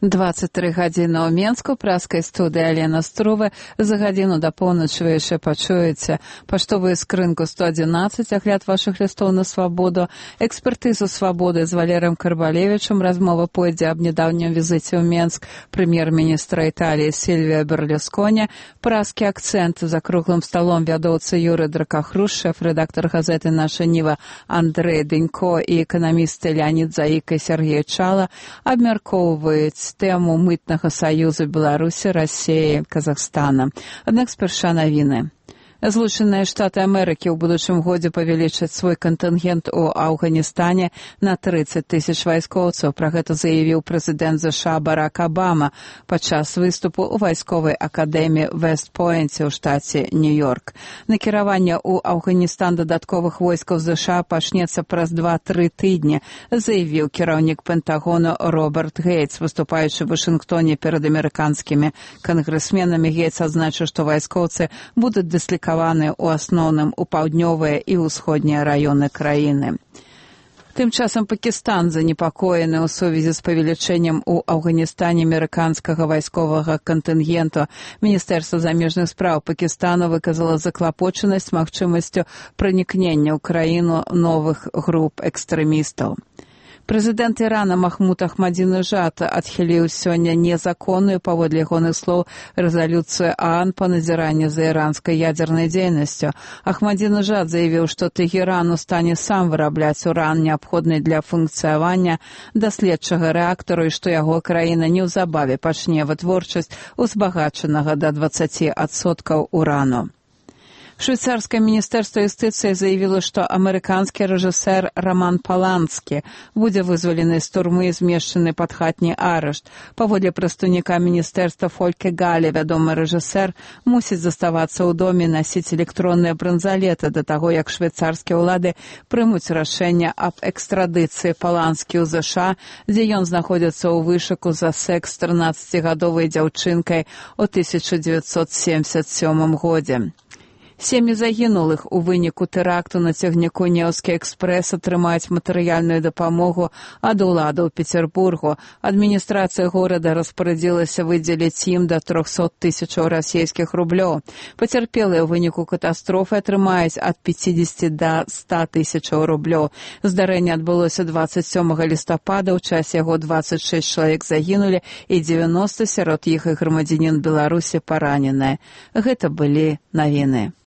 23 гадзіны ў Менску, праскай студыі Алена Струве. За гадзіну да поўначы вы яшчэ пачуеце паштовую скрынку 111, агляд вашых лістоў на свабоду, экспертызу свабоды з Валерыем Карбалевічам, размова пойдзе аб нядаўнім візіце ў Менск прэм'ер-міністра Італіі Сільвіа Берлусконі, праскі акцэнт за круглым сталом вядоўца Юры Дракахруш, шэф-рэдактар газеты «Наша Ніва» Андрэй Дэнько і эканамісты Леонід Заік і Сергей Чала абмяркоўваюць тэму мытнага саюзу Беларусі, Расіі, Казахстана. Аднак спярша навіны. Злучаныя Штаты Амерыкі ў будучым годзе павялічаць свой кантынгент у Афганістане на 30 тысяч вайскоўцаў. Пра гэта заявіў прэзідэнт ЗША Барак Абама падчас выступу ў вайсковай акадэміі Вэст-Пойнце ў штаце Нью-Йорк. Накіраванне ў Афганістан дадатковых войскаў ЗША пачнецца праз 2-3 тыдні, заявіў кіраўнік Пентагону Роберт Гейтс, выступаючы ў Вашынгтоне перад амерыканскімі кангрэсменамі. Гейтс адзначыў, што вайскоўцы будуць дыслікаваны у асноўным у паўднёвыя і ўсходнія раёны краіны. Тым часам Пакістан занепакоены ў сувязі з павелічэннем у Афганістане амерыканскага вайсковага кантынгенту. Міністэрства замежных спраў Пакістану выказала заклапочанасць магчымасцю пранікнення ў краіну новых груп экстрэмістаў. Прэзідэнт Ірана Махмуд Ахмадзінежад адхіліў сёння незаконную, паводле ягоных слоў, рэзалюцыю ААН па назіранні за іранскай ядзернай дзейнасцю. Ахмадзінежад заявіў, што Тэгеран у стане сам вырабляць уран, неабходны для функцыявання даследчага рэактару, і што яго краіна неўзабаве пачне вытворчасць узбагачанага да 20% урану. Швейцарскае міністэрства юстыцыі заявіла, што амерыканскі рэжысэр Роман Паланскі будзе вызвалены з турмы і змешчаны пад хатні арышт. Паводле прадстаўніка міністэрства Фольке Гале, вядомы рэжысэр мусіць заставацца ў доме, насіць электронныя бранзалеты да таго, як швейцарскія ўлады прымуць рашэнне аб экстрадыцыі Паланскі ў ЗША, дзе ён знаходзіцца ў вышуку за секс з 13-гадовай дзяўчынкай у 1977 годзе. Сем'і загінулых у выніку тэракту на цягніку Неўскі экспрэс атрымаюць матэрыяльную дапамогу ад уладаў Петербургу. Адміністрацыя горада распарадзілася выдзеліць ім да 300 тысячаў расійскіх рублёў. Пацярпелыя ў выніку катастрофы атрымаюць ад 50 да 100 тысячаў рублёў. Здарэнне адбылося 27 лістапада, у часе яго 26 чалавек загінулі і 90 сярод іх і грамадзянін Беларусі параненыя. Гэта былі навіны.